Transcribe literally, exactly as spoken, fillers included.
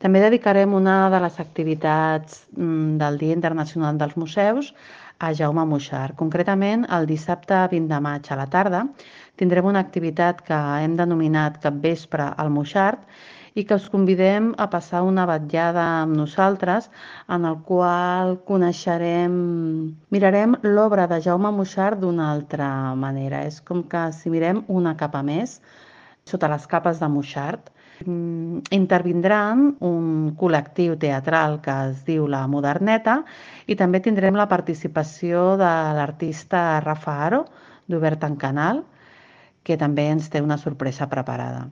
També dedicarem una de les activitats del Dia Internacional dels Museus a Jaume Muixart. Concretament, el dissabte vint de maig a la tarda tindrem una activitat que hem denominat Capvespre al Muixart i que us convidem a passar una vetllada amb nosaltres en el qual coneixerem, mirarem l'obra de Jaume Muixart d'una altra manera. És com que si mirem una capa més sota les capes de Muixart. Intervindran un col·lectiu teatral que es diu La Moderneta i també tindrem la participació de l'artista Rafa Aro, d'Obert en Canal, que també ens té una sorpresa preparada.